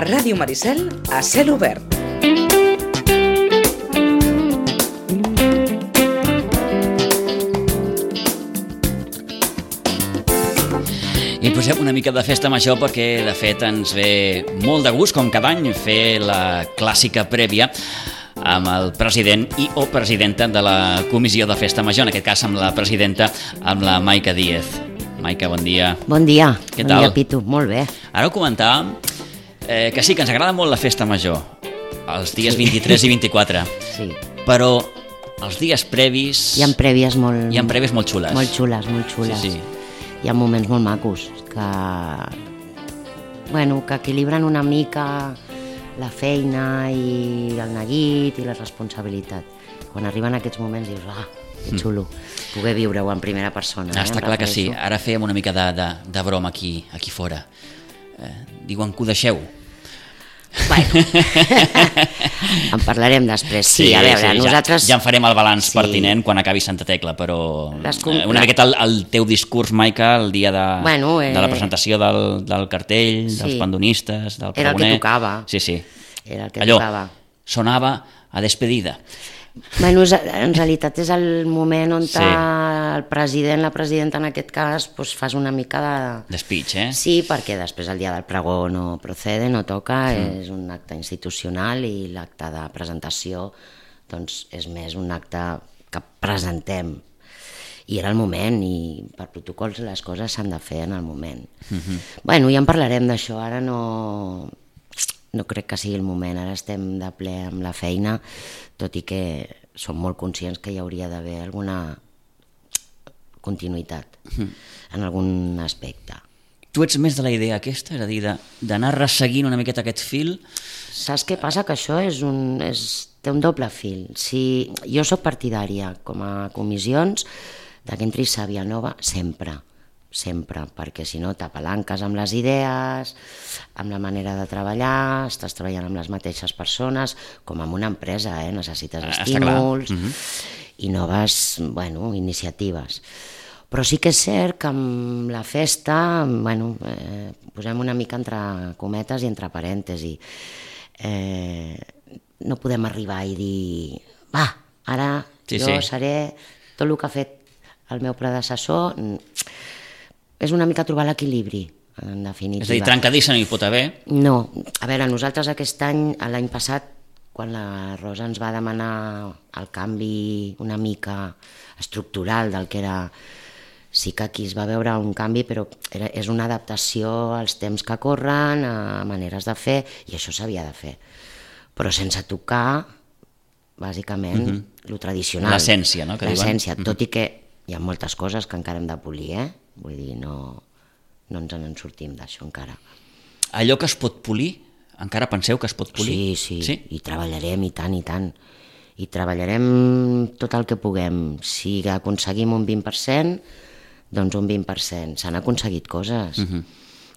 Ràdio Maricel, a cel obert. I posem una mica de festa major perquè, de fet, ens ve molt de gust, com cada any, fer la clàssica prèvia amb el president i o presidenta de la comissió de festa major, en aquest cas amb la presidenta, amb la Maica Díez. Maica, bon dia. Bon dia. Què bon tal? Dia, Pitu. Molt bé. Ara ho comentàvem, que sí, que ens agrada molt la festa major, els dies 23 i 24, Sí. però els dies previs... Hi ha prèvies molt... Hi ha prèvies molt xules. Molt xules, molt xules. Sí, sí. Hi ha moments molt macos que equilibren una mica la feina i el neguit i la responsabilitat. Quan arriben aquests moments dius, que xulo, poder viure-ho en primera persona. Està clar que sí. Ara fèiem una mica de broma aquí fora. Diuen que ho deixeu. Bueno, en parlarem després. Sí, a veure, nosaltres... Ja en farem el balanç pertinent quan acabi Santa Tecla, però una miqueta el teu discurs, Maica, el dia de la presentació del cartell, dels pandonistes, del pregoner... Era el que tocava. Sí. Era el que tocava. Sonava a despedida. Bueno, en realitat és el moment on el president, la presidenta en aquest cas, fas una mica de... Speech, Sí, perquè després el dia del pregó no procede, no toca, és un acte institucional i l'acte de presentació doncs és més un acte que presentem. I era el moment i per protocols les coses s'han de fer en el moment. Bueno, ja en parlarem d'això, ara no crec que sigui el moment, ara estem de ple amb la feina, tot i que som molt conscients que hi hauria d'haver alguna continuïtat en algun aspecte. Tu ets més de la idea aquesta, és a dir, d'anar resseguint una miqueta aquest fil? Saps què passa? Que això té un doble fil. Si jo sóc partidària, com a comissions, que entri sàvia nova sempre, perquè si no t'apalanques amb les idees, amb la manera de treballar, estàs treballant amb les mateixes persones, com en una empresa, necessites estímuls i noves iniciatives. Però sí que és cert que amb la festa, posem una mica entre cometes i entre parèntesis, no podem arribar i dir ara jo seré tot el que ha fet el meu predecessor. És una mica trobar l'equilibri, en definitiva. És a dir, trencadissa no hi pot haver? No. A veure, nosaltres aquest any, l'any passat, quan la Rosa ens va demanar el canvi una mica estructural del que era... Sí que aquí es va veure un canvi, però és una adaptació als temps que corren, a maneres de fer, i això s'havia de fer. Però sense tocar, bàsicament, lo tradicional. L'essència, no? L'essència, tot i que hi ha moltes coses que encara hem de polir, Vull dir, no ens en sortim d'això encara. Allò que es pot polir, encara penseu que es pot polir? Sí, i treballarem i tant. I treballarem tot el que puguem. Si aconseguim un 20%, doncs un 20%. S'han aconseguit coses.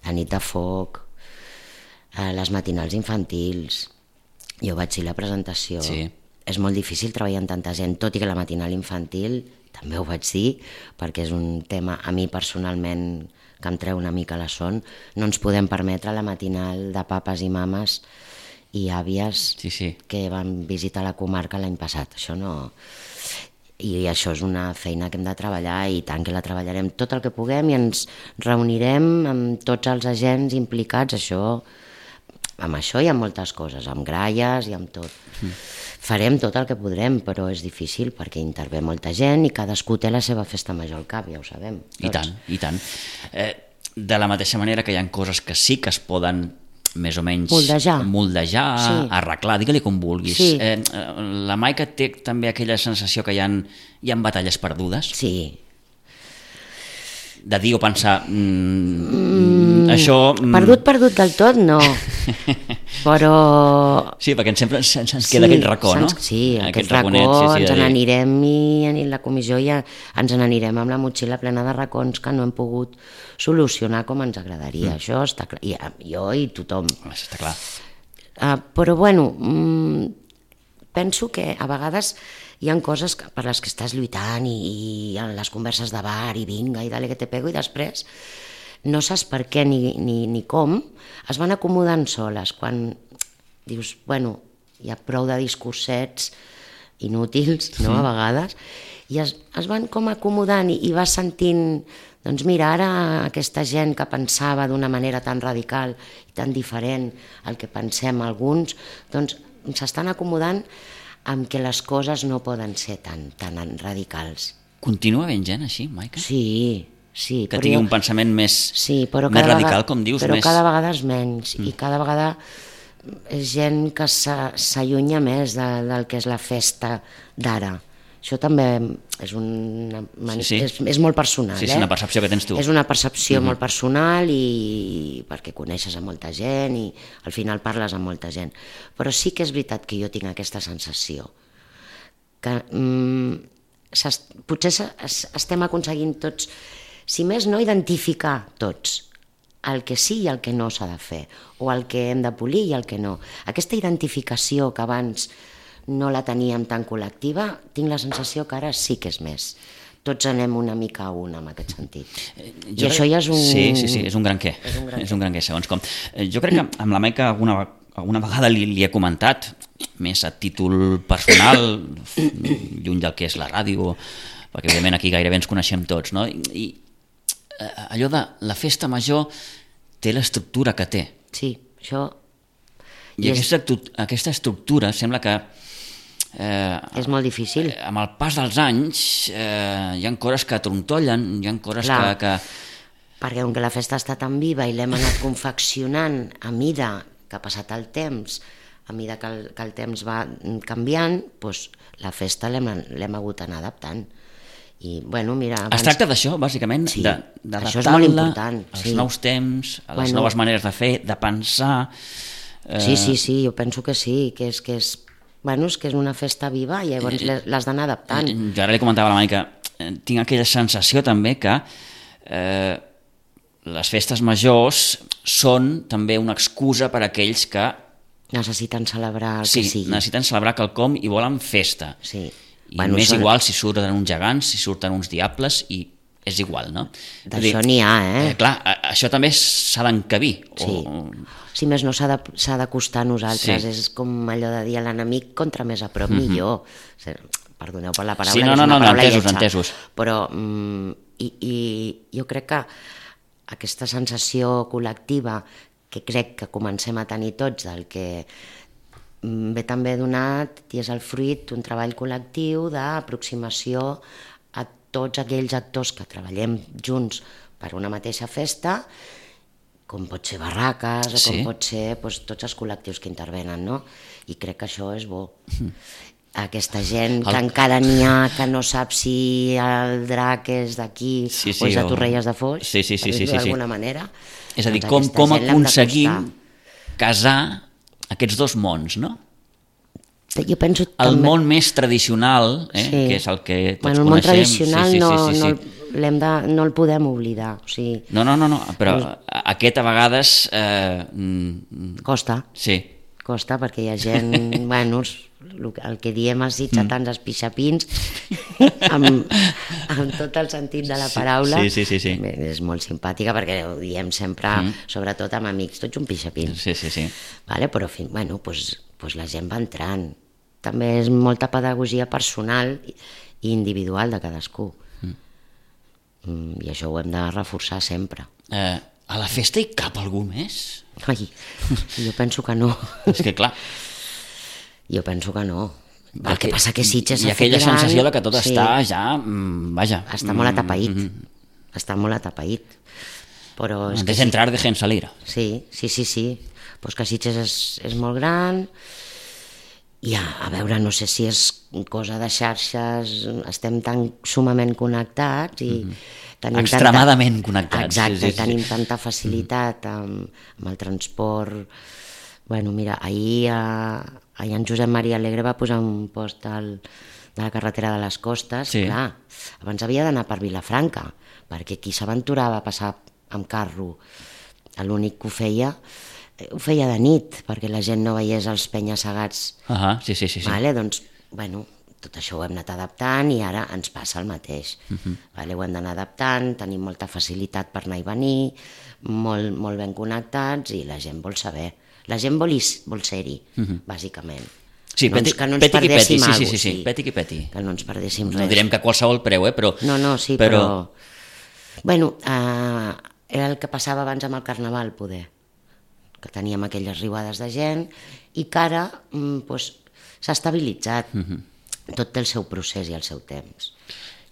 La nit de foc, les matinals infantils, jo vaig dir la presentació. És molt difícil treballar amb tanta gent, tot i que la matinal infantil... també ho vaig dir, perquè és un tema a mi personalment que em treu una mica la son. No ens podem permetre la matinal de papes i mames i àvies que van visitar la comarca l'any passat. Això no... I això és una feina que hem de treballar i tant que la treballarem tot el que puguem i ens reunirem amb tots els agents implicats, amb això i amb moltes coses, amb gralles i amb tot. Farem tot el que podrem, però és difícil perquè intervé molta gent i cadascú té la seva festa major al cap, ja ho sabem. I tant. De la mateixa manera que hi ha coses que sí que es poden més o menys moldejar, arreglar, digue-li com vulguis. La Maica té també aquella sensació que hi ha batalles perdudes? Sí. De dir o pensar això... Perdut del tot, no. Però... Sí, perquè sempre ens queda aquest racó, no? Sí, aquest racó, ens n'anirem i la comissió ja ens n'anirem amb la motxilla plena de racons que no hem pogut solucionar com ens agradaria. Això està clar. Jo i tothom. Està clar. Però, penso que a vegades hi ha coses per les que estàs lluitant i en les converses de bar i vinga i dale que te pego i després no saps per què ni com, es van acomodant soles, quan dius, bueno, hi ha prou de discursets inútils, no?, a vegades, i es van com acomodant i vas sentint, doncs mira, ara aquesta gent que pensava d'una manera tan radical i tan diferent al que pensem alguns, doncs s'estan acomodant amb que les coses no poden ser tan radicals. Continua havent gent així, Maica? Sí. Que tingui un pensament més radical, com dius. Però cada vegada és menys, i cada vegada és gent que s'allunya més del que és la festa d'ara. Això també és molt personal. Sí, és una percepció que tens tu. És una percepció molt personal, i perquè coneixes a molta gent i al final parles amb molta gent. Però sí que és veritat que jo tinc aquesta sensació que potser estem aconseguint tots, si més no, identificar tots el que sí i el que no s'ha de fer, o el que hem de polir i el que no. Aquesta identificació que abans no la teníem tan col·lectiva, tinc la sensació que ara sí que és més. Tots anem una mica a una en aquest sentit. I això ja és un... Sí, és un gran què. És un gran què, segons com. Jo crec que amb la Maica alguna vegada li he comentat, més a títol personal, lluny del que és la ràdio, perquè evidentment aquí gairebé ens coneixem tots, no? I allò de la festa major té l'estructura que té. Sí, això... I aquesta estructura sembla que... és molt difícil. Amb el pas dels anys hi ha coses que trontollen, hi ha coses que... Perquè com que la festa està tan viva i l'hem anat confeccionant a mida que ha passat el temps, a mida que el temps va canviant, doncs la festa l'hem hagut d'anar adaptant. I, bueno, mira... Es tracta d'això, bàsicament, d'adaptar-la als nous temps, a les noves maneres de fer, de pensar... Sí, jo penso que sí, que és una festa viva i llavors l'has d'anar adaptant. Jo ara li comentava a la Maica, tinc aquella sensació també que les festes majors són també una excusa per a aquells que... necessiten celebrar el que sigui. Sí, necessiten celebrar quelcom i volen festa. Sí. I m'és igual si surten uns gegants, si surten uns diables, i és igual, no? D'això n'hi ha, Clar, això també s'ha d'encabir. Sí. Si més no, s'ha d'acostar a nosaltres. Sí. És com allò de dir a l'enemic, contra més a prop, millor. Perdoneu per la paraula, sí, és una paraula entesos. Però jo crec que aquesta sensació col·lectiva que crec que comencem a tenir tots, del que ve també donat i és el fruit d'un treball col·lectiu d'aproximació a tots aquells actors que treballem junts per una mateixa festa, com pot ser barraques o com pot ser tots els col·lectius que intervenen, no? I crec que això és bo. Aquesta gent que encara n'hi ha que no sap si el drac és d'aquí o és de Torrelles de Foix, per dir-ho d'alguna manera. És a dir, com aconseguim casar aquests dos mons, no? Jo penso el món més tradicional, que és el que tots coneixem. El món tradicional no el podem oblidar. No, però aquest a vegades... Costa. Sí. Costa perquè hi ha gent, el que diem els sitjatans, els pixapins, amb tot el sentit de la paraula. Sí. És molt simpàtica perquè ho diem sempre, sobretot amb amics, tots un pixapin. Sí. Però la gent va entrant. També és molta pedagogia personal i individual de cadascú. I això ho hem de reforçar sempre. A la festa hi cap algú més? Ai, jo penso que no. És que clar... Jo penso que no. El que passa que Sitges s'ha fet gran... Hi ha aquella sensació de que tot està ja... Vaja... Està molt atapeït. Està molt atapeït. Però antes d'entrar, dejen salir. Sí. Pues que Sitges és molt gran... I a veure, no sé si és cosa de xarxes, estem tan sumament connectats i tenim extremadament connectats. Exacte, tenim tanta facilitat amb el transport. Bueno, mira, ahir en Josep Maria Alegre va posar un post de la carretera de les Costes. Clar, abans havia d'anar per Vilafranca, perquè qui s'aventurava a passar amb carro, l'únic que ho feia de nit, perquè la gent no veiés els penya-segats. Sí. Vale? Doncs, tot això ho hem anat adaptant i ara ens passa el mateix. Vale? Ho hem d'anar adaptant, tenim molta facilitat per anar i venir, molt ben connectats i la gent vol saber. La gent vol ser-hi, bàsicament. Sí, que no ens perdéssim alguna cosa. Sí, peti qui peti. Que no ens perdéssim res. No direm que a qualsevol preu, però... No, sí, però... Bueno, era el que passava abans amb el Carnaval, poder. Que teníem aquelles riuades de gent i que ara s'ha estabilitzat. Tot té el seu procés i el seu temps.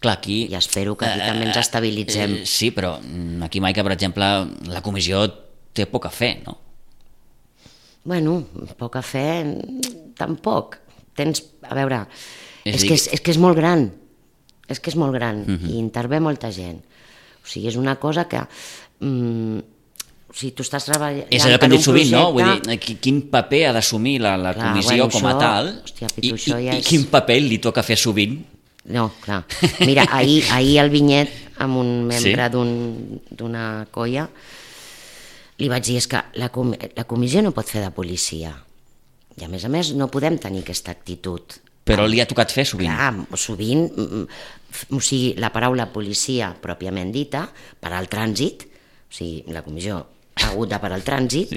Clar, aquí... I espero que aquí també ens estabilitzem. Sí, però aquí, Maica, per exemple, la comissió té poc a fer, no? Bueno, poc a fer, tampoc. A veure, és que és molt gran. És que és molt gran i intervé molta gent. O sigui, és una cosa que... si tu estàs treballant... És allò que hem dit sovint, no? Vull dir, quin paper ha d'assumir la comissió com a tal i quin paper li toca fer sovint? No, clar. Mira, ahir al Vinyet, amb un membre d'una colla, li vaig dir, és que la comissió no pot fer de policia. I a més no podem tenir aquesta actitud. Però li ha tocat fer sovint. Clar, sovint, o sigui, la paraula policia pròpiament dita, per al trànsit, o sigui, la comissió ha hagut de parar el trànsit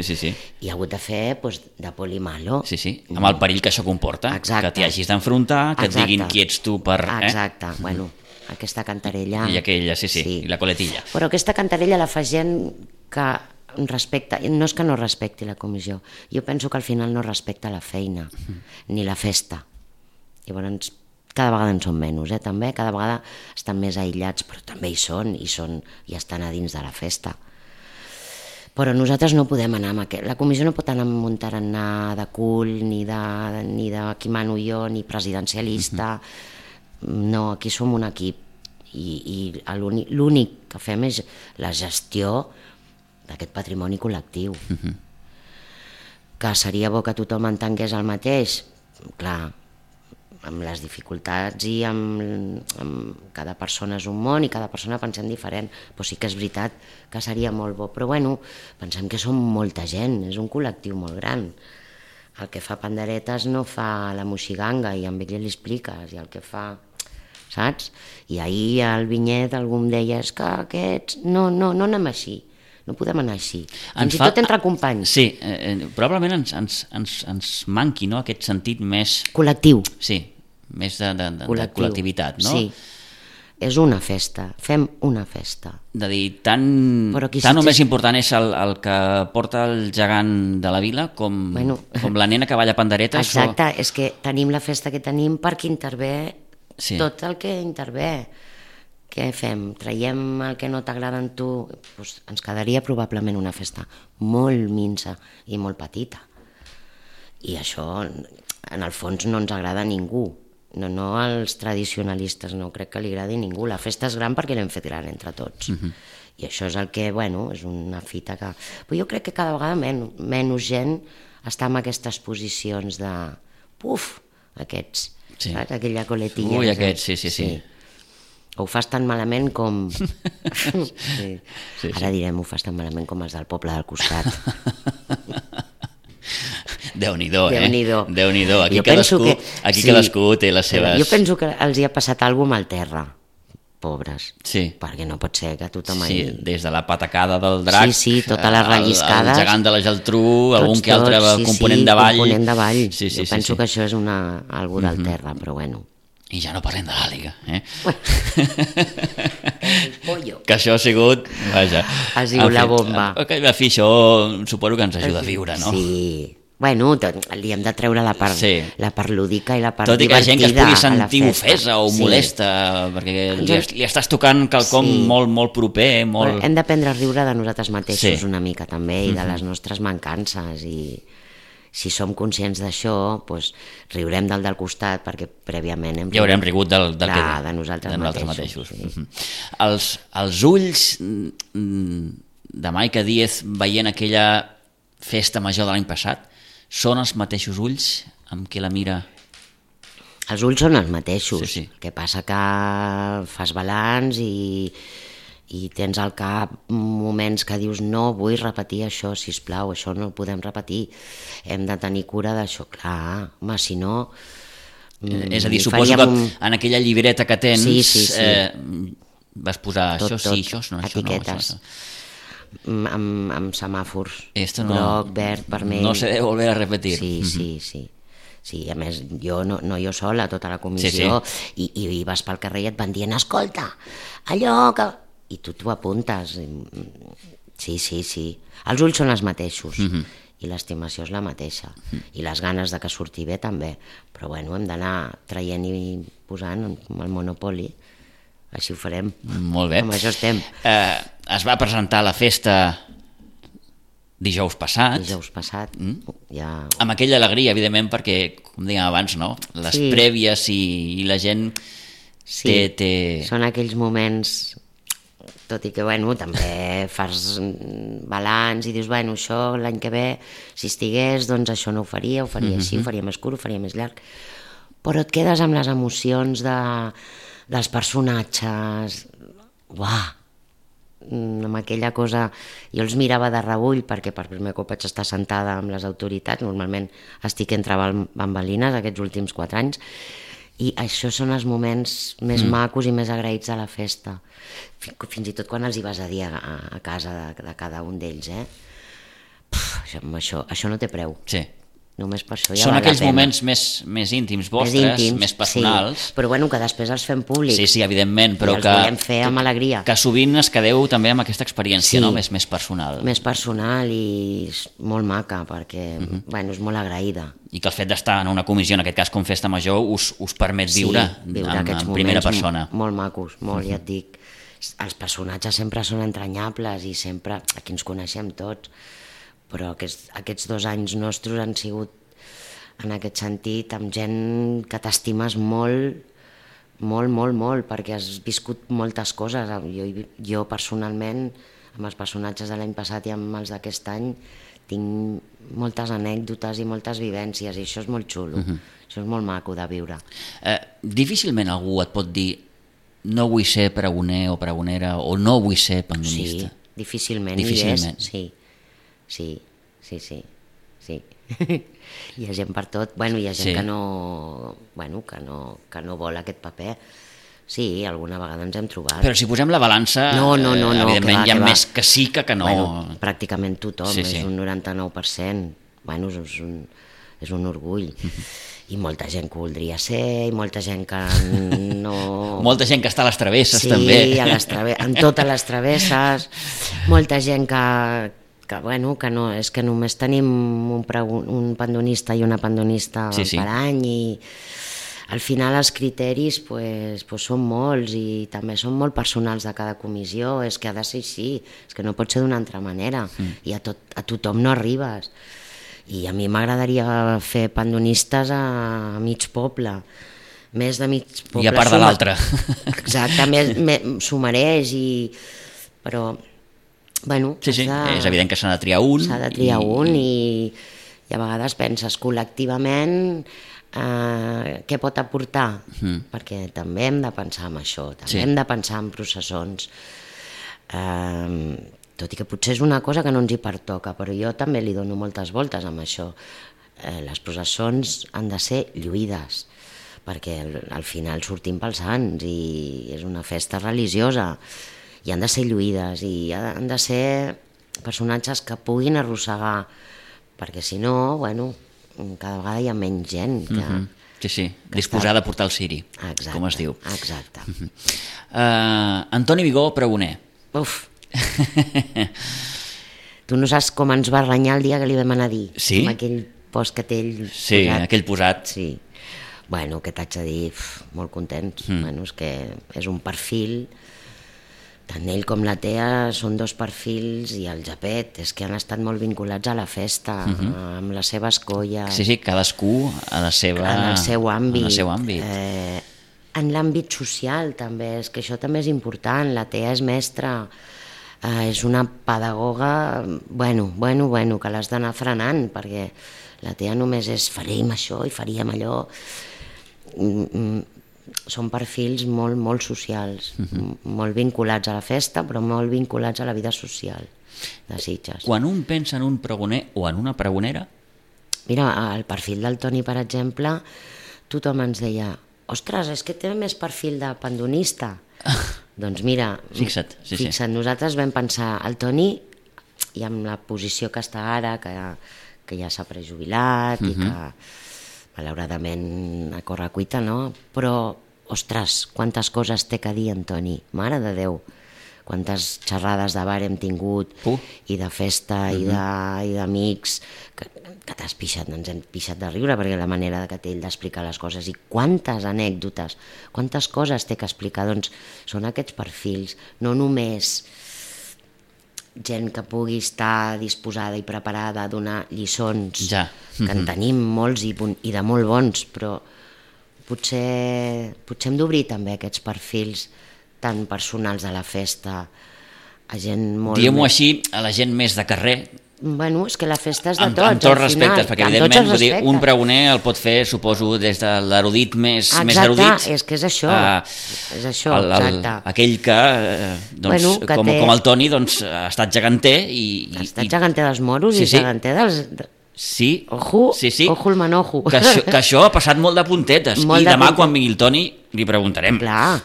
i ha hagut de fer de polimalo. Sí, amb el perill que això comporta, que t'hi hagis d'enfrontar, que et diguin qui ets tu per... Exacte, bueno, aquesta cantarella... I aquella, sí, i la coletilla. Però aquesta cantarella la fa gent que respecta, no és que no respecti la comissió, jo penso que al final no respecta la feina, ni la festa. Llavors, cada vegada en són menys, també, cada vegada estan més aïllats, però també hi són, i estan a dins de la festa. Però nosaltres no podem anar amb aquest... La comissió no pot anar amb un tarannà de cul, ni de qui mano jo, ni presidencialista. No, aquí som un equip. I l'únic que fem és la gestió d'aquest patrimoni col·lectiu. Que seria bo que tothom entengués el mateix. Clar, amb les dificultats i amb cada persona és un món i cada persona pensem diferent, però sí que és veritat que seria molt bo, però bueno, pensem que som molta gent, és un col·lectiu molt gran. El que fa panderetes no fa la moixiganga i amb ell li expliques, i el que fa, saps? I ahir al Vinyet algú em deia, és que aquests, no anem així. No podem anar així, fins i tot entre companys. Sí, probablement ens manqui, no?, aquest sentit més... Col·lectiu. Sí, més de col·lectivitat, no? Sí, és una festa, fem una festa. De dir, tant o més important és el que porta el gegant de la vila com la nena que balla panderetes. Exacte, és que tenim la festa que tenim perquè intervé tot el que intervé. Què fem? Traiem el que no t'agrada en tu? Doncs ens quedaria probablement una festa molt minsa i molt petita. I això, en el fons, no ens agrada a ningú. No als tradicionalistes, no crec que li agradi a ningú. La festa és gran perquè l'hem fet gran entre tots. I això és el que, és una fita que... Però jo crec que cada vegada menys gent està en aquestes posicions de... Puf, aquests, saps? Aquella coletilla. Ui, aquests, sí. Ho fas tan malament com... Ara direm, ho fas tan malament com els del poble del costat. Déu-n'hi-do, Déu-n'hi-do. Aquí cadascú té les seves... Jo penso que els hi ha passat alguna cosa al terra, pobres. Sí. Perquè no pot ser que tothom... Sí, des de la patacada del drac... Sí, totes les relliscades... El gegant de la Geltrú, algun que altre component de ball... component de ball. Jo penso que això és algú del terra, però bueno... I ja no parlem de l'àliga, El pollo. Que això ha sigut... Vaja. Ha sigut la bomba. En fi, això suposo que ens ajuda a viure, no? Sí. Bueno, li hem de treure la part lúdica i la part divertida. Tot i que la gent que es pugui sentir ofesa o molesta, perquè li estàs tocant quelcom molt proper, molt... Hem d'aprendre a riure de nosaltres mateixos una mica també i de les nostres mancances i... Si som conscients d'això, doncs riurem del costat perquè prèviament ja haurem rigut de nosaltres mateixos. Sí. Els ulls de Maica Díez veient aquella festa major de l'any passat són els mateixos ulls amb què la mira? Els ulls són els mateixos. Sí. El que passa que fas balanç i tens al cap moments que dius no vull repetir això, sisplau, això no ho podem repetir, hem de tenir cura d'això, clar, home, si no És a dir, suposo que en aquella llibreta que tens vas posar tot, això sí, això no, això no. Etiquetes. Amb semàfors. Esto no, groc, verd, vermell. No se debe volver a repetir. Sí, a més, no jo sola, tota la comissió, i vas pel carrer i et van dient, escolta, allò que... I tu t'ho apuntes. Sí. Els ulls són els mateixos, i l'estimació és la mateixa, i les ganes de que surti bé també, però bueno, hem d'anar traient i posant amb el Monopoli, així ho farem. Molt bé. Amb això estem. Es va presentar la festa dijous passat. Ja... Amb aquella alegria, evidentment, perquè, com dèiem abans, no? Les prèvies i la gent té... Són aquells moments, tot i que, bueno, també fas balanç i dius, bueno, això l'any que ve, si estigués, doncs això no ho faria així, ho faria més curt, ho faria més llarg. Però et quedes amb les emocions dels personatges, amb aquella cosa, jo els mirava de reüll perquè per primer cop vaig estar sentada amb les autoritats, normalment estic entre bambalines aquests últims 4 anys, i això són els moments més macos i més agraïts de la festa, fins i tot quan els hi vas a dir a casa de cada un d'ells, això no té preu. Sí. Només per això ja són val aquells la pena. Moments més íntims vostres, més personals. Sí, però bueno, que després els fem públics. Sí, evidentment, però i els volem fer amb alegria. Que sovint es quedeu també amb aquesta experiència, no? Més personal. Més personal i molt maca, perquè bueno, és molt agraïda. I que el fet d'estar en una comissió, en aquest cas com Festa Major, us permet viure en primera persona. Molt macos, molt, ja et dic. Els personatges sempre són entranyables i sempre, aquí ens coneixem tots, però aquests 2 anys nostres han sigut, en aquest sentit, amb gent que t'estimes molt, perquè has viscut moltes coses. Jo personalment, amb els personatges de l'any passat i amb els d'aquest any, tinc moltes anècdotes i moltes vivències, i això és molt xulo, això és molt maco de viure. Difícilment algú et pot dir no vull ser pregoner o pregonera, o no vull ser pandonista. Sí, difícilment. Sí. Hi ha gent per tot, hi ha gent que no vol aquest paper. Sí, alguna vegada ens hem trobat. Però si posem la balança, evidentment hi ha més que sí que no. Pràcticament tothom, és un 99%. És un orgull. I molta gent que voldria ser, i molta gent que no... Molta gent que està a les travesses, també. Sí, en totes les travesses. Molta gent que no, és que només tenim un pandonista i una pandonista per any, i al final els criteris són molts i també són molt personals de cada comissió, és que ha de ser així, és que no pot ser d'una altra manera, i a tothom no arribes. I a mi m'agradaria fer pandonistes a mig poble, més de mig poble. I a part de l'altre. Exacte, s'ho mereix, però... és evident que s'ha de triar un. S'ha de triar un i a vegades penses col·lectivament què pot aportar, perquè també hem de pensar en això, també hem de pensar en processons. Tot i que potser és una cosa que no ens hi pertoca, però jo també li dono moltes voltes amb això. Les processons han de ser lluïdes, perquè al final sortim pels sants i és una festa religiosa, i han de ser lluïdes, i han de ser personatges que puguin arrossegar, perquè si no, cada vegada hi ha menys gent que... Sí, disposada a portar el ciri, com es diu. Exacte. Antoni Vigó, pregoner. Uf! Tu no saps com ens va renyar el dia que li vam anar a dir, amb aquell post que té ell posat. Aquell posat. Sí. Què t'haig de dir? Molt contents. És que és un perfil, tant ell com la Tea són 2 perfils, i el Japet, és que han estat molt vinculats a la festa, amb les seves colles. Sí, cadascú en el seu àmbit. En l'àmbit social també, és que això també és important. La Tea és mestra, és una pedagoga, que l'has d'anar frenant, perquè la Tea només és faríem això i faríem allò. Són perfils molt socials, molt vinculats a la festa, però molt vinculats a la vida social de Sitges. Quan un pensa en un pregoner o en una pregonera? Mira, el perfil del Toni, per exemple, tothom ens deia, ostres, és que té més perfil de pandonista. Doncs mira, Fixa't, nosaltres vam pensar, el Toni, i amb la posició que està ara, que ja s'ha prejubilat i que malauradament a correcuita, no? Però, ostres, quantes coses té que dir en Toni, mare de Déu, quantes xerrades de bar hem tingut, i de festa, i d'amics, que t'has pixat, ens hem pixat de riure, perquè la manera que té ell d'explicar les coses, i quantes anècdotes, quantes coses té que explicar, doncs són aquests perfils, no només gent que pugui estar disposada i preparada a donar lliçons, que en tenim molts i de molt bons, però potser hem d'obrir també aquests perfils tan personals de la festa a gent molt... Diguem-ho així, a la gent més de carrer. Bueno, és que la festa és de tots, amb tots respectes, perquè evidentment un pregoner el pot fer, suposo, des de l'erudit més erudit. Exacte, és que és això, exacte. Aquell que, com el Toni, ha estat geganter i... Ha estat geganter dels moros i geganter dels... Sí, ojo el manojo. Que això ha passat molt de puntetes, i demà quan vingui el Toni li preguntarem. Clar.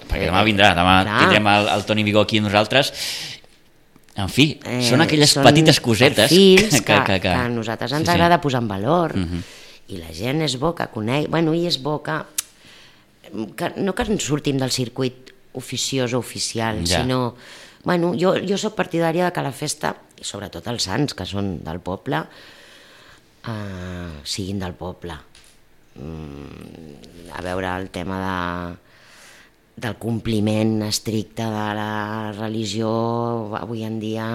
Perquè demà vindrà, tindrem el Toni Vigó aquí amb nosaltres. En fi, són aquelles petites cosetes que a nosaltres ens agrada posar en valor, i la gent és bo que coneix, i és bo que no que ens sortim del circuit oficiós o oficial, sinó, jo soc partidària que la festa, i sobretot els sants que són del poble, siguin del poble. A veure el tema del compliment estricte de la religió avui en dia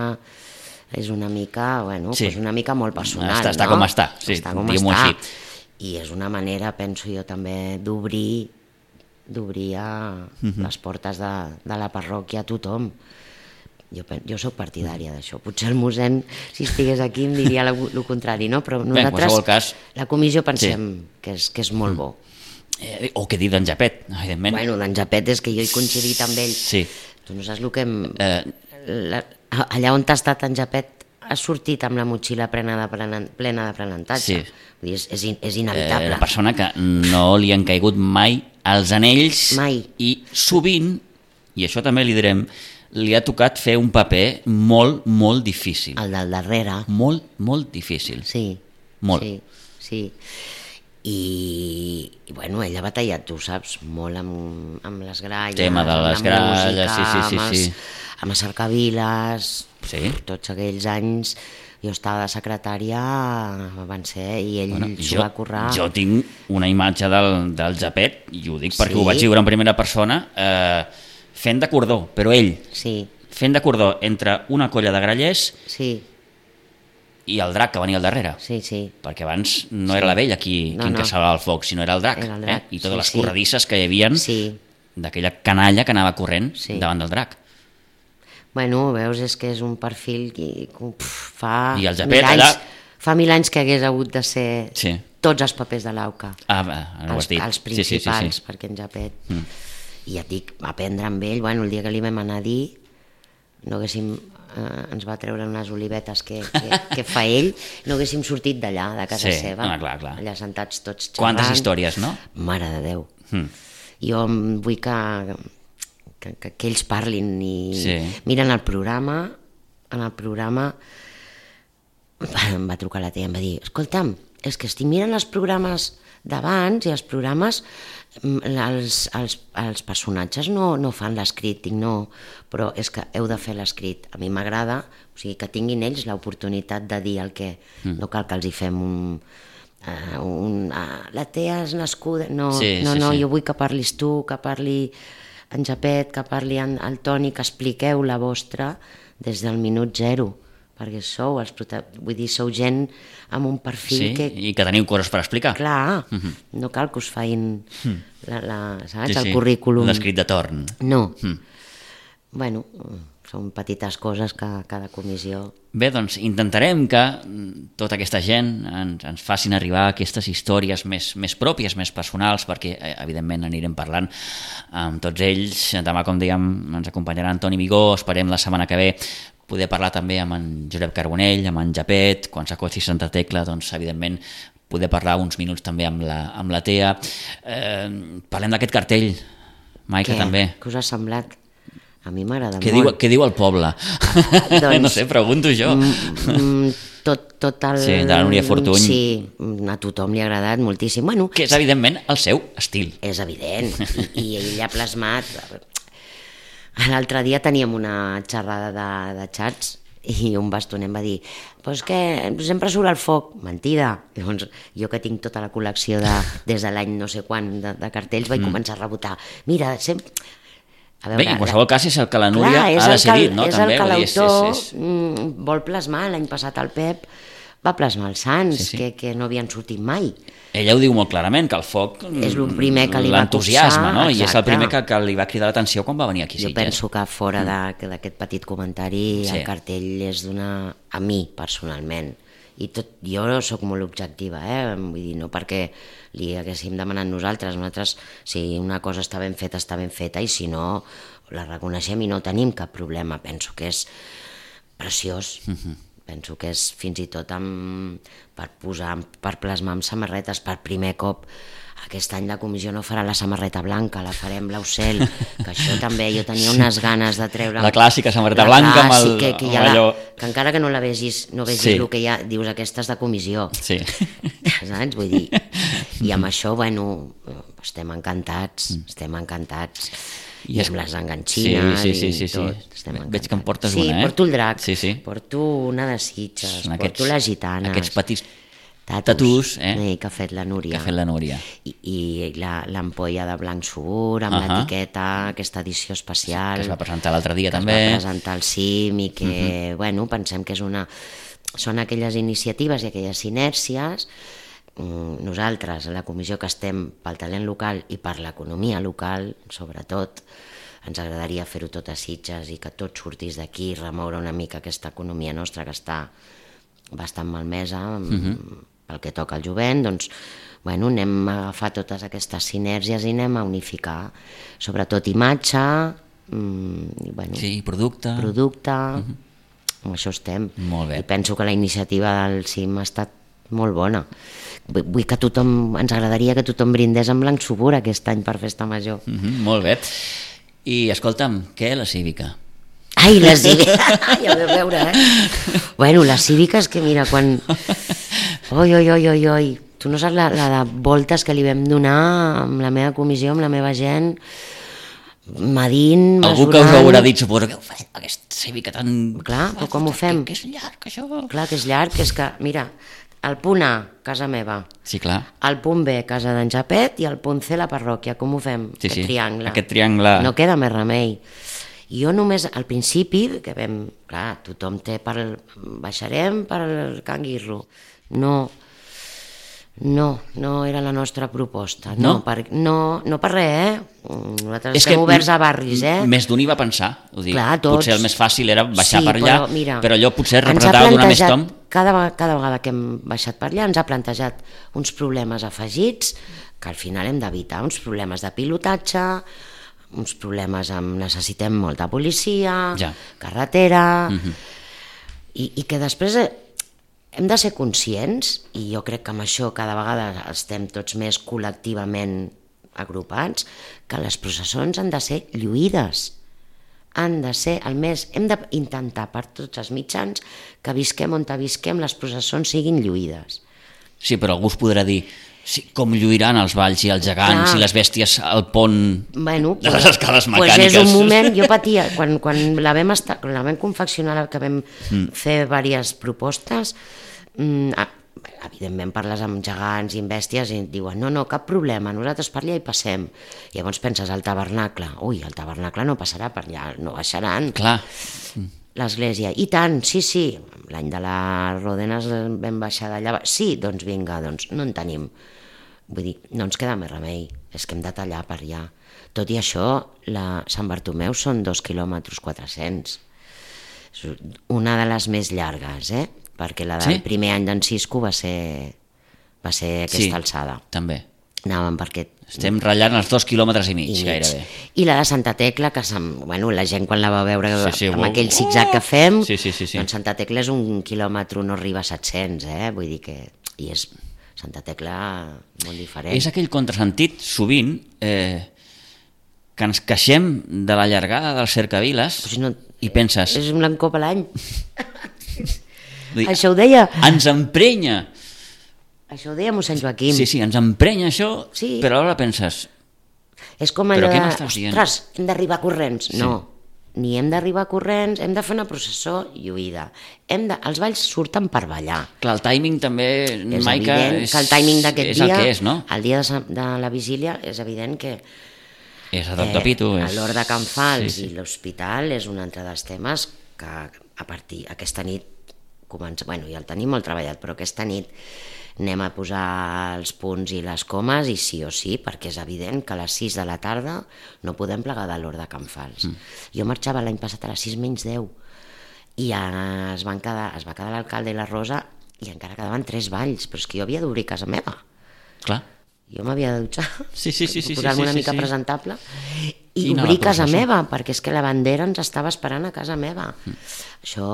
és una mica, una mica molt personal, està com està, diguem-ho així. I és una manera, penso jo també, d'obrir les portes de la parròquia a tothom. Jo soc partidària d'això. Potser el mossèn, si estigués aquí, em diria el contrari, no? Però nosaltres, la comissió, pensem que és molt bo. O què dir d'en Japet, evidentment. D'en Japet és que jo he coincidit amb ell. Sí. Tu no saps el que... Allà on t'ha estat en Japet has sortit amb la motxilla plena d'aprenentatge. Vull dir, és inevitable. La persona que no li han caigut mai els anells. Mai. I sovint, i això també li direm, li ha tocat fer un paper molt, molt difícil. El del darrere. Molt, molt difícil. Sí. Molt. Sí. I ell ha batallat, tu saps, molt amb les gralles, tema de les gralles, sí. Amb les cercaviles, tots aquells anys jo estava de secretària, van ser, i ell s'ho va currar. Jo tinc una imatge del Japet, i ho dic perquè ho vaig viure en primera persona, fent de cordó, però ell fent de cordó entre una colla de grallers i el drac que venia al darrere. Sí. Perquè abans no era la vella qui encaçava el foc, sinó era el drac. I totes les corredisses que hi havia d'aquella canalla que anava corrent davant del drac. Veus, és que és un perfil que fa 1000 anys que hagués hagut de ser tots els papers de l'AUCA. Els principals, perquè en Japet... I ja et dic, aprendre amb ell, el dia que li vam anar a dir, no haguéssim, ens va treure unes olivetes que fa ell, no haguéssim sortit d'allà, de casa seva, allà sentats tots xerrant. Quantes històries, no? Mare de Déu. Jo vull que ells parlin i miren el programa, em va trucar la tia i em va dir, escolta'm, és que estic mirant els programes d'abans i els programes, els personatges no fan l'escrit, dic no, però és que heu de fer l'escrit. A mi m'agrada, o sigui, que tinguin ells l'oportunitat de dir el que... No cal que els hi fem la tea és nascuda... No, jo vull que parlis tu, que parli en Japet, que parli el Toni, que expliqueu la vostra des del minut zero, perquè sou gent amb un perfil i que teniu coses per explicar. Clar, no cal que us fain el currículum. L'escrit de torn. No. Són petites coses que cada comissió... Bé, doncs intentarem que tota aquesta gent ens facin arribar aquestes històries més pròpies, més personals, perquè evidentment anirem parlant amb tots ells. Demà, com dèiem, ens acompanyarà Toni Vigó, esperem la setmana que ve poder parlar també amb en Josep Carbonell, amb en Japet, quan s'acosti Santa Tecla, doncs evidentment poder parlar uns minuts també amb la Tea. Parlem d'aquest cartell, Maica, també. Què us ha semblat? A mi m'agrada molt. Què diu el poble? Doncs, no sé, pregunto jo. Tot el... Sí, de la Núria Fortuny. Sí, a tothom li ha agradat moltíssim. Bueno, que és, evidentment, el seu estil. És evident, i ell ha plasmat... L'altre dia teníem una xerrada de xats i un bastoner em va dir pues que sempre surt el foc. Mentida. Llavors, jo que tinc tota la col·lecció des de l'any no sé quan de cartells vaig començar a rebotar. Mira, sempre... Bé, en qualsevol cas és el que la Núria ha decidit, no? És el que l'autor vol plasmar. L'any passat el Pep va plasmar els Sants, que no havien sortit mai. Ella ho diu molt clarament, que el foc és el primer que li va l'entusiasme, no? I és el primer que li va cridar l'atenció quan va venir aquí. Jo penso que fora d'aquest petit comentari el cartell és a mi, personalment. I jo sóc molt objectiva, vull dir, no perquè li haguéssim demanat nosaltres, si una cosa està ben feta, i si no, la reconeixem i no tenim cap problema. Penso que és preciós. Penso que és fins i tot per plasmar amb samarretes. Per primer cop aquest any la comissió no farà la samarreta blanca, la farem blau cel, que això també jo tenia unes ganes de treure... La clàssica samarreta blanca amb el... Que encara que no la vegis, el que hi ha, dius aquesta és de comissió. Sí. Saps? Vull dir, i amb això, bueno, estem encantats. I amb les enganxines i tot. Veig que em portes una, eh? Sí, porto el drac, porto una de Sitges, porto la gitana. Aquests petits tatus que ha fet la Núria. I l'ampolla de blanc subur, amb l'etiqueta, aquesta edició especial. Que es va presentar l'altre dia també. Que es va presentar al CIM i que, bueno, pensem que són aquelles iniciatives i aquelles inèrcies. Nosaltres, a la comissió que estem pel talent local i per l'economia local, sobretot, ens agradaria fer-ho tot a Sitges i que tot sortís d'aquí, remoure una mica aquesta economia nostra que està bastant malmesa pel que toca al jovent. Doncs, bueno, anem a agafar totes aquestes sinèrgies i anem a unificar, sobretot imatge, producte. Amb això estem. Molt bé. I penso que la iniciativa del CIM ha estat molt bona. Vull que ens agradaria que tothom brindés amb blanc subur aquest any per Festa Major. Molt bé. I escolta'm, què la cívica? Ai, la cívica, ja ho deu veure, Bueno, la cívica és que mira, quan... Oi, tu no saps la de voltes que li vam donar amb la meva comissió, amb la meva gent, medint, mesurant... Algú que us haurà dit, suposo que ho farem, aquesta cívica tan... Clar, però com ho fem? Que és llarg, això. Clar, que és llarg, que és que, mira... El punt A, casa meva. Sí, clar. El punt B, casa d'en Japet, i el punt C, la parròquia. Com ho fem? Aquest triangle. Aquest triangle... No queda més remei. Jo només, al principi, que vam... Clar, tothom té baixarem per el Can Guirro. No era la nostra proposta. No per res, Nosaltres estem oberts a barris, Més d'un hi va pensar, ho dic. Clar, tots. Potser el més fàcil era baixar per allà, però allò potser ens representava donar més tom. Cada vegada que hem baixat per allà ens ha plantejat uns problemes afegits que al final hem d'evitar, uns problemes de pilotatge, uns problemes amb necessitem molta policia, carretera, i que després hem de ser conscients, i jo crec que amb això cada vegada estem tots més col·lectivament agrupats, que les processons han de ser lluïdes. Han de ser hem d'intentar per tots els mitjans que visquem on visquem les processons siguin lluïdes. Sí, però algú us podrà dir com lluiran els valls i els gegants i les bèsties al pont de les escales mecàniques. És un moment, jo patia, quan la vam confeccionar, que vam fer diverses propostes, evidentment parles amb gegants i amb bèsties i diuen no, cap problema, nosaltres per allà hi passem. Llavors penses al tabernacle, el tabernacle no passarà per allà, no baixaran. Clar. L'església, i tant, sí, l'any de les Rodenes vam baixar d'allà, sí, doncs vinga, no en tenim. Vull dir, no ens queda més remei, és que hem de tallar per allà. Tot i això, Sant Bartomeu són 2 quilòmetres 400. Una de les més llargues, perquè la del primer any d'en Cisco va ser aquesta alçada. També. Anàvem per aquest... Estem ratllant els 2,5 quilòmetres gairebé. I la de Santa Tecla, que la gent quan la va veure amb aquell wow. zigzag que fem, Sí. doncs Santa Tecla és 1 quilòmetre, no arriba a 700, vull dir que... I és Santa Tecla molt diferent. És aquell contrasentit, sovint, que ens queixem de la llargada dels cercaviles i penses... És un cop a l'any. Dir, Això ho deia... Ens emprenya. Això ho deia mossèn Joaquim. Sí, ens emprenya això, Sí. però alhora penses... És com allò Però què de, m'estàs dient? ostres, hem d'arribar corrents. Sí. No, ni hem d'arribar corrents, hem de fer una processó lluïda. Els balls surten per ballar. Clar, el timing també, És Maica, evident que el timing d'aquest és dia, el que és, no? el dia de la vigília, és evident que És a tot de pito. a l'hora de Can Fals Sí. i l'hospital és un altre dels temes que a partir aquesta nit ja el tenim molt treballat, però aquesta nit anem a posar els punts i les comes i sí o sí, perquè és evident que a les 6 de la tarda no podem plegar de l'hora de Can Fals. Jo marxava l'any passat a les 6 menys 10 i es va quedar l'alcalde i la Rosa i encara quedaven 3 balls, però és que jo havia d'obrir casa meva. Clar. Jo m'havia de dutxar, Sí, posar-me una mica presentable i anar a obrir la casa processó. meva, perquè és que la bandera ens estava esperant a casa meva. Això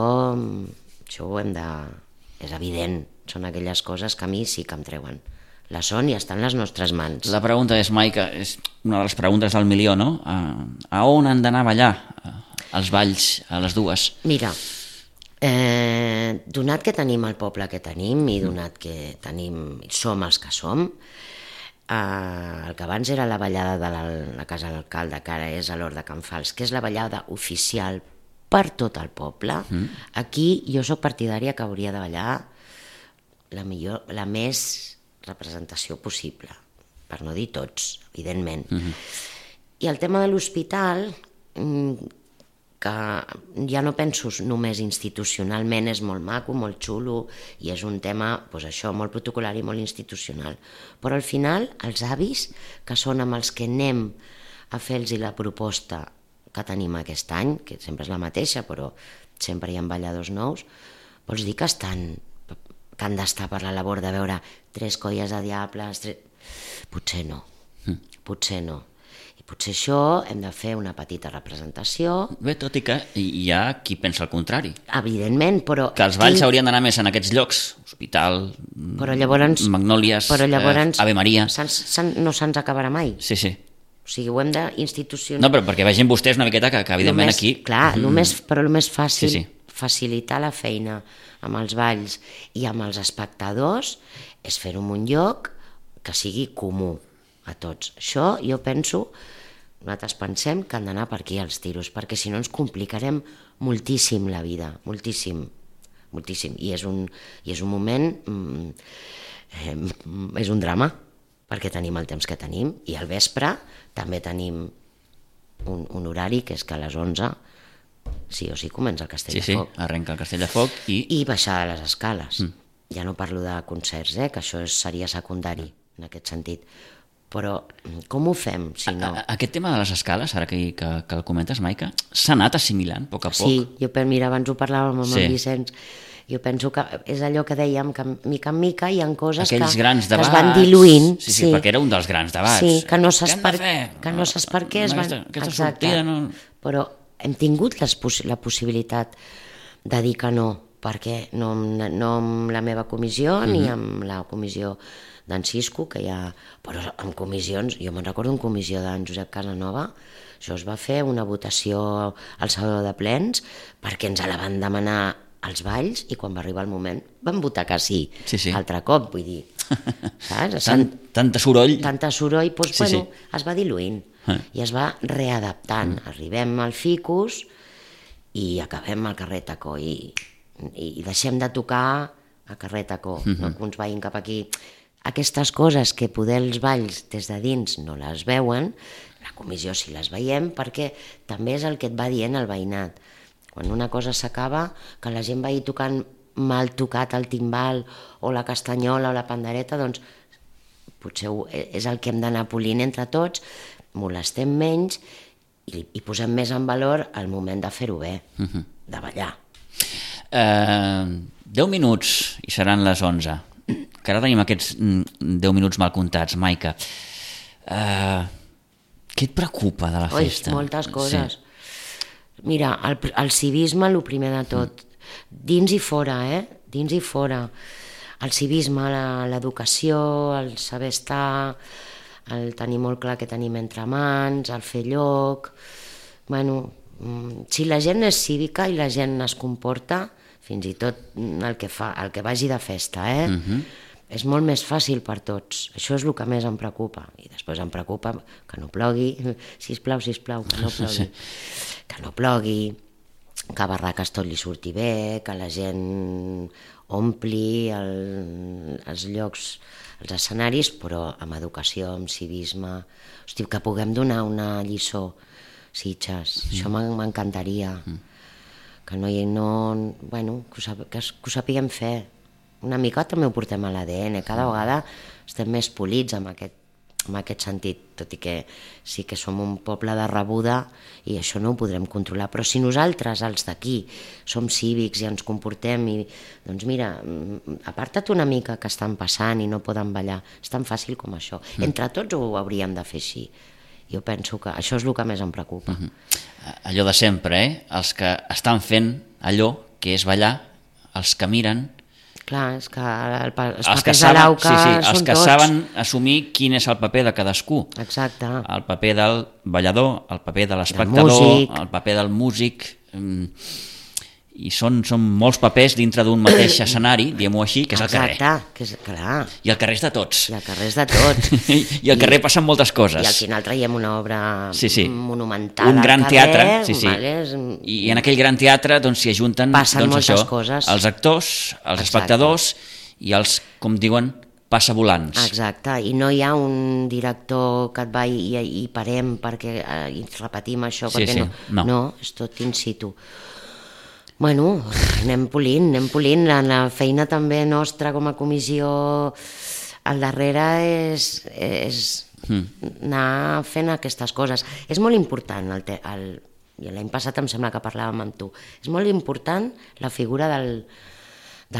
ho hem de... És evident, són aquelles coses que a mi sí que em treuen la son i estan a les nostres mans. La pregunta és, Maica, és una de les preguntes del milió, no? A on han d'anar a ballar els balls a les 2? Mira, donat que tenim el poble que tenim i donat que som els que som, el que abans era la ballada de la Casa de l'Alcalde, que ara és a l'Hort de Can Fals, que és la ballada oficial per tot el poble, aquí jo sóc partidària que hauria de ballar la més representació possible, per no dir tots, evidentment. I el tema de l'hospital, que ja no penso només institucionalment, és molt maco, molt xulo, i és un tema, doncs això, molt protocolar i molt institucional. Però al final, els avis, que són amb els que anem a fer-los la proposta que tenim aquest any, que sempre és la mateixa, però sempre hi ha balladors nous, vols dir que han d'estar per la labor de veure 3 colles de diables... Potser no, potser no. I potser això hem de fer una petita representació. Bé, tot i que hi ha qui pensa el contrari. Evidentment, però... Que els balls haurien d'anar més en aquests llocs, hospital, Magnòlies, Ave Maria... No se'ns acabarà mai. Sí. O sigui, ho hem d'institucionar... No, però perquè vegin vostès una miqueta que evidentment aquí... Clar, el més fàcil, facilitar la feina amb els balls i amb els espectadors és fer-ho en un lloc que sigui comú a tots. Això jo penso, nosaltres pensem que han d'anar per aquí els tiros, perquè si no ens complicarem moltíssim la vida, moltíssim. I és un moment, és un drama, perquè tenim el temps que tenim, i al vespre també tenim un horari que és que a les 11 sí o sí comença el Castell de Foc. Sí, arrenca el Castell de Foc i baixar de les escales. Ja no parlo de concerts, que això seria secundari en aquest sentit. Però com ho fem, si no? Aquest tema de les escales, ara que el comentes, Maica, s'ha anat assimilant a poc a poc? Sí, mira, abans ho parlàvem amb el Vicenç, jo penso que és allò que dèiem, que mica en mica hi ha coses que es van diluint. Sí, perquè era un dels grans debats. Sí, que no saps per què es van... Aquesta sortida no... Però hem tingut la possibilitat de dir que no, perquè no amb la meva comissió ni amb la comissió d'en Cisco, que hi ha... Però en comissions, jo me'n recordo en comissió d'en Josep Casanova, això es va fer una votació al Saló de Plens perquè ens la van demanar als balls i quan va arribar el moment van votar que sí. Altre cop, vull dir, saps? Tanta soroll. Tanta soroll, doncs, es va diluint i es va readaptant. Arribem al Ficus i acabem al carrer Tacó i deixem de tocar a carrer Tacó, no que uns vagin cap aquí. Aquestes coses que poder els balls des de dins no les veuen, la comissió sí les veiem perquè també és el que et va dient el veïnat. Quan una cosa s'acaba, que la gent vagi tocant mal tocat el timbal o la castanyola o la pandereta, doncs potser és el que hem d'anar polint entre tots, molestem menys i posem més en valor el moment de fer-ho bé, de ballar. 10 minuts i seran les 11. que ara tenim aquests 10 minuts mal comptats, Maica, què et preocupa de la festa? Moltes coses. Mira, el civisme, el primer de tot, dins i fora, dins i fora. El civisme, l'educació, el saber estar, el tenir molt clar què tenim entre mans, el fer lloc. Bueno, si la gent és cívica i la gent es comporta, fins i tot el que vagi de festa, és molt més fàcil per tots. Això és el que més em preocupa. I després em preocupa que no plogui, sisplau, que no plogui. Que no plogui, que a Barraques tot li surti bé, que la gent ompli els llocs, els escenaris, però amb educació, amb civisme. Hosti, que puguem donar una lliçó, Sitges. Això m'encantaria. Que ho sapiguem fer. Una mica també ho portem a l'ADN. Cada vegada estem més polits amb aquest sentit, tot i que sí que som un poble de rebuda i això no ho podrem controlar, però si nosaltres, els d'aquí, som cívics i ens comportem doncs mira, aparta't una mica que estan passant i no poden ballar, és tan fàcil com això. Entre tots ho hauríem de fer així. Jo penso que això és el que més em preocupa. Allò de sempre, els que estan fent allò que és ballar, els que miren. Clar, és que els papers de l'AUCA són tots. Els que saben assumir quin és el paper de cadascú. Exacte. El paper del ballador, el paper de l'espectador, el paper del músic. I són molts papers dintre d'un mateix escenari, diguem-ho així, que és el carrer. Exacte, clar. I el carrer és de tots. I el carrer és de tots. I al carrer passen moltes coses. I al final traiem una obra monumental un gran teatre, vale? I en aquell gran teatre s'hi ajunten moltes coses. Els actors, els espectadors i els, com diuen, passavolants. Exacte, i no hi ha un director que et va i parem perquè repetim això, perquè no, és tot in situ. Bueno, anem polint. La feina també nostra com a comissió al darrere és anar fent aquestes coses. És molt important, l'any passat em sembla que parlàvem amb tu, és molt important la figura del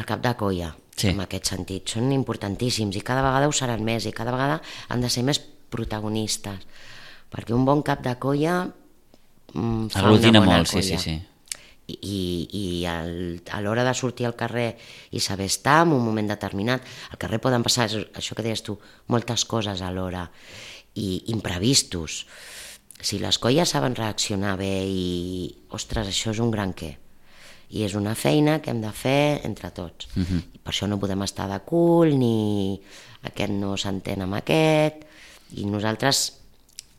cap de colla, en aquest sentit. Són importantíssims i cada vegada ho seran més i cada vegada han de ser més protagonistes, perquè un bon cap de colla fa una bona colla. Sí. I a l'hora de sortir al carrer i saber estar en un moment determinat, al carrer poden passar, això que deies tu, moltes coses alhora i imprevistos. Si les colles saben reaccionar bé ostres, això és un gran què. I és una feina que hem de fer entre tots. I per això no podem estar de cul, ni aquest no s'entén amb aquest, i nosaltres,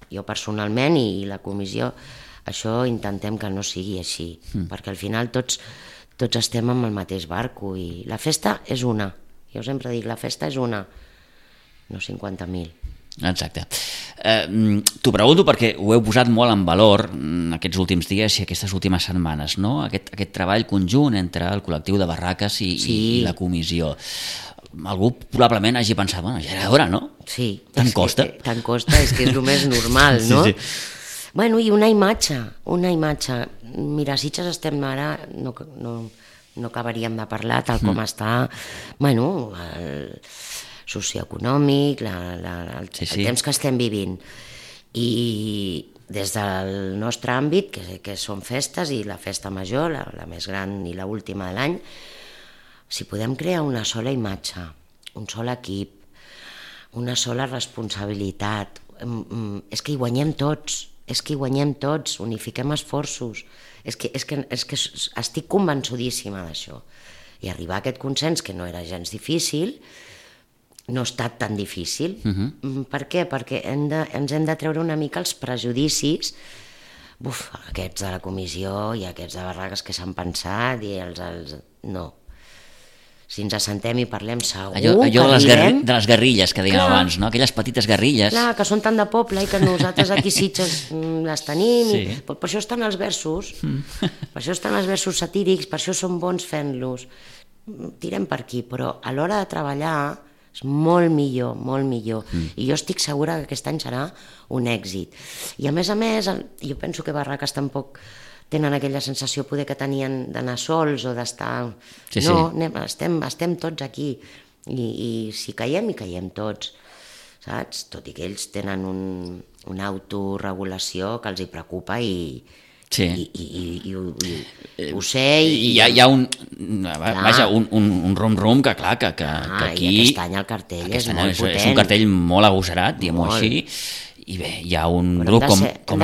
jo personalment i la comissió, això intentem que no sigui així, perquè al final tots estem amb el mateix barco i la festa és una. Jo sempre dic, la festa és una, no 50.000. Exacte. T'ho pregunto perquè ho heu posat molt en valor aquests últims dies i aquestes últimes setmanes, no? Aquest treball conjunt entre el col·lectiu de Barraques i la comissió. Algú probablement hagi pensat, bueno, ja era hora, no? Sí. Tant costa. Tant costa, és que és el més normal, no? Sí. Bueno, i una imatge. Mira, Sitges estem ara, no acabaríem de parlar tal com està, bueno, el socioeconòmic, el temps que estem vivint. I des del nostre àmbit, que són festes i la festa major, la més gran i l'última de l'any, si podem crear una sola imatge, un sol equip, una sola responsabilitat, és que hi guanyem tots, unifiquem esforços, és que estic convençudíssima d'això. I arribar a aquest consens, que no era gens difícil, no ha estat tan difícil. Per què? Perquè ens hem de treure una mica els prejudicis, aquests de la comissió i aquests de Barraques que s'han pensat, i no. Si ens assentem i parlem segur allò de les guerrilles que dèiem abans, no? Aquelles petites guerrilles. Clar, que són tan de poble i que nosaltres aquí Sitges les tenim. Sí. Per això estan els versos, per això estan els versos satírics, per això són bons fent-los. Tirem per aquí, però a l'hora de treballar és molt millor, molt millor. I jo estic segura que aquest any serà un èxit. I a més, jo penso que Barraques tampoc tenen aquella sensació poder que tenien d'anar sols o d'estar... No, estem tots aquí. I si caiem, hi caiem tots, saps? Tot i que ells tenen una autorregulació que els hi preocupa i ho sé. Hi ha un rum-rum que clar, que aquí... I aquest any el cartell és molt potent. És un cartell molt agosserat, diguem-ho així, i bé, hi ha un grup com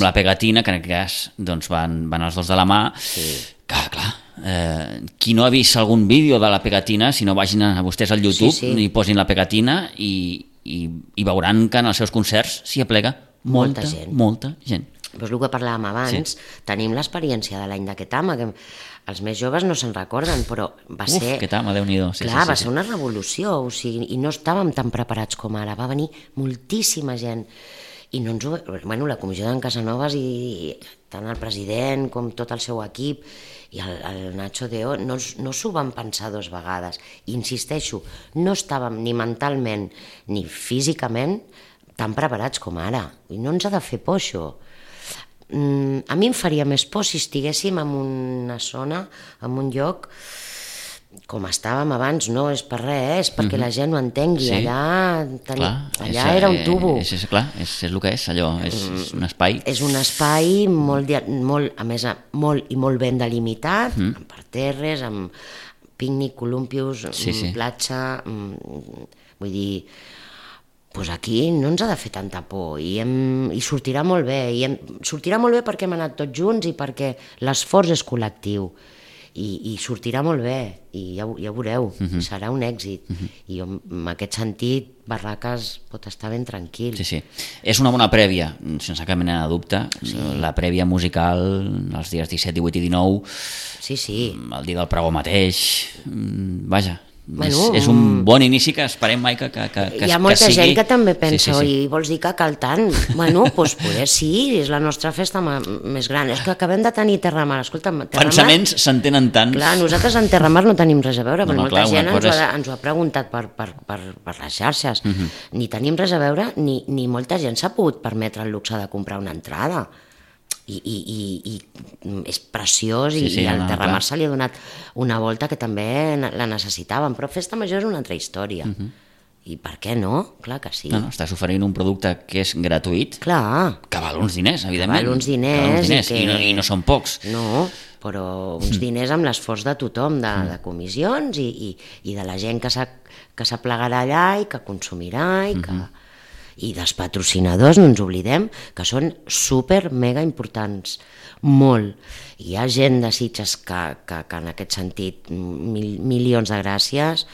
la Pegatina, que en aquest cas doncs, van els dos de la mà, que clar, qui no ha vist algun vídeo de la Pegatina, si no vagin a vostès al YouTube i posin la Pegatina i veuran que en els seus concerts s'hi aplega molta gent. Doncs el que parlàvem abans, tenim l'experiència de l'any d'aquest home, que els més joves no se'n recorden, però va ser... Aquest home, Déu-n'hi-do. Clar, va ser una revolució, o sigui, i no estàvem tan preparats com ara, va venir moltíssima gent, i no ens ho... Bueno, la comissió d'en Casanovas i tant el president com tot el seu equip i el Nacho Deo no s'ho van pensar dues vegades. I insisteixo, no estàvem ni mentalment ni físicament tan preparats com ara, i no ens ha de fer por això. A mi em faria més por si estiguéssim en una zona, en un lloc com estàvem abans, no és per res, és perquè la gent ho entengui. Allà era un tubo. Clar, és el que és, allò, és un espai. És un espai molt, a més, molt i molt ben delimitat, amb parterres, amb pícnic, columpios, platja, vull dir... Doncs aquí no ens ha de fer tanta por i sortirà molt bé. Sortirà molt bé perquè hem anat tots junts i perquè l'esforç és col·lectiu i sortirà molt bé i ja veureu, serà un èxit. I en aquest sentit Barraques pot estar ben tranquil. Sí. És una bona prèvia, sense cap mena de dubte. La prèvia musical els dies 17, 18 i 19, el dia del pregó mateix, vaja. És un bon inici que esperem mai que sigui... Hi ha molta gent que també pensa, i vols dir que cal tant? Bueno, doncs poder sí, és la nostra festa més gran. És que acabem de tenir Terramar. Escolta, pensaments s'entenen tant. Clar, nosaltres en Terramar no tenim res a veure, però molta gent ens ho ha preguntat per les xarxes. Ni tenim res a veure, ni molta gent s'ha pogut permetre el luxe de comprar una entrada. I és preciós i al Terramar se li ha donat una volta que també la necessitàvem, però Festa Major és una altra història i per què no? Clar que sí. Estàs oferint un producte que és gratuït, que val uns diners, evidentment, val uns diners i no són pocs, però uns diners amb l'esforç de tothom, de comissions i de la gent que s'aplegarà allà i que consumirà i dels patrocinadors, no ens oblidem, que són super mega importants, molt. Hi ha gent de Sitges que en aquest sentit, milions de gràcies,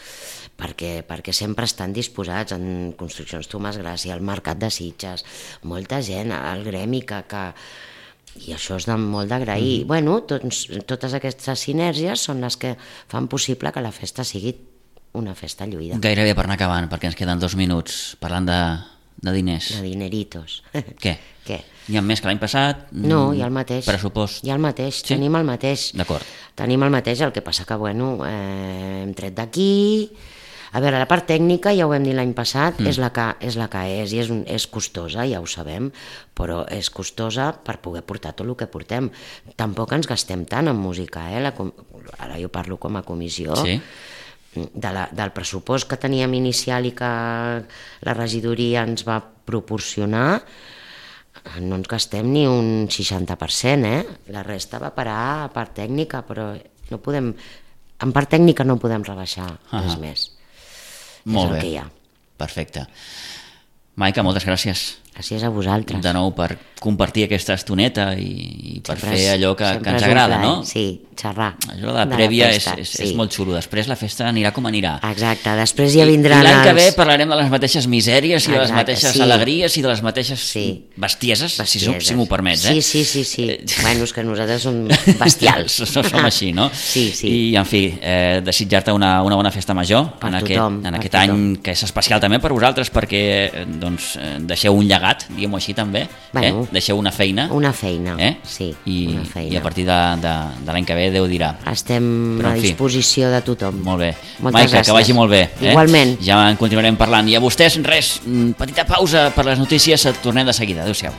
perquè sempre estan disposats en Construccions Tomàs Gràcia, al Mercat de Sitges, molta gent, al gremi i això és molt d'agrair. Bueno, totes aquestes sinergies són les que fan possible que la festa sigui una festa lluïda. Gairebé per anar acabant, perquè ens queden 2 minuts, parlant de diners. De dineritos. Què? Hi ha més que l'any passat? No, hi ha el mateix. Pressupost? Hi ha el mateix, tenim el mateix. D'acord. Tenim el mateix, el que passa que, hem tret d'aquí... A veure, la part tècnica, ja ho vam dir l'any passat, és la que és, i és costosa, ja ho sabem, però és costosa per poder portar tot el que portem. Tampoc ens gastem tant en música, ara jo parlo com a comissió, del pressupost que teníem inicial i que la regidoria ens va proporcionar, no ens gastem ni un 60%, la resta va parar a part tècnica, però no podem, en part tècnica no podem rebaixar res més. Molt bé, que hi ha. Perfecte. Maica, moltes gràcies. Gràcies a vosaltres. De nou per compartir aquesta estoneta i per fer allò que ens agrada, no? Sí, xerrar. Allò de la prèvia és molt xulo. Després la festa anirà com anirà. Exacte, després ja vindran I l'any que ve parlarem de les mateixes misèries i de les mateixes alegries i de les mateixes bestieses, si m'ho permets. Sí. Bueno, és que nosaltres som bestials. Som així, no? Sí. I, en fi, desitjar-te una bona festa major en aquest any que és especial també per vosaltres, perquè deixeu un llegat, diguem-ho així també, deixeu una feina, sí, una feina. I a partir de l'any que ve Déu dirà. Estem a disposició de tothom. Molt bé. Moltes Maica, gràcies. que vagi molt bé. Igualment. Ja en continuarem parlant. I a vostès, res, petita pausa per les notícies, tornem de seguida. Adéu-siau.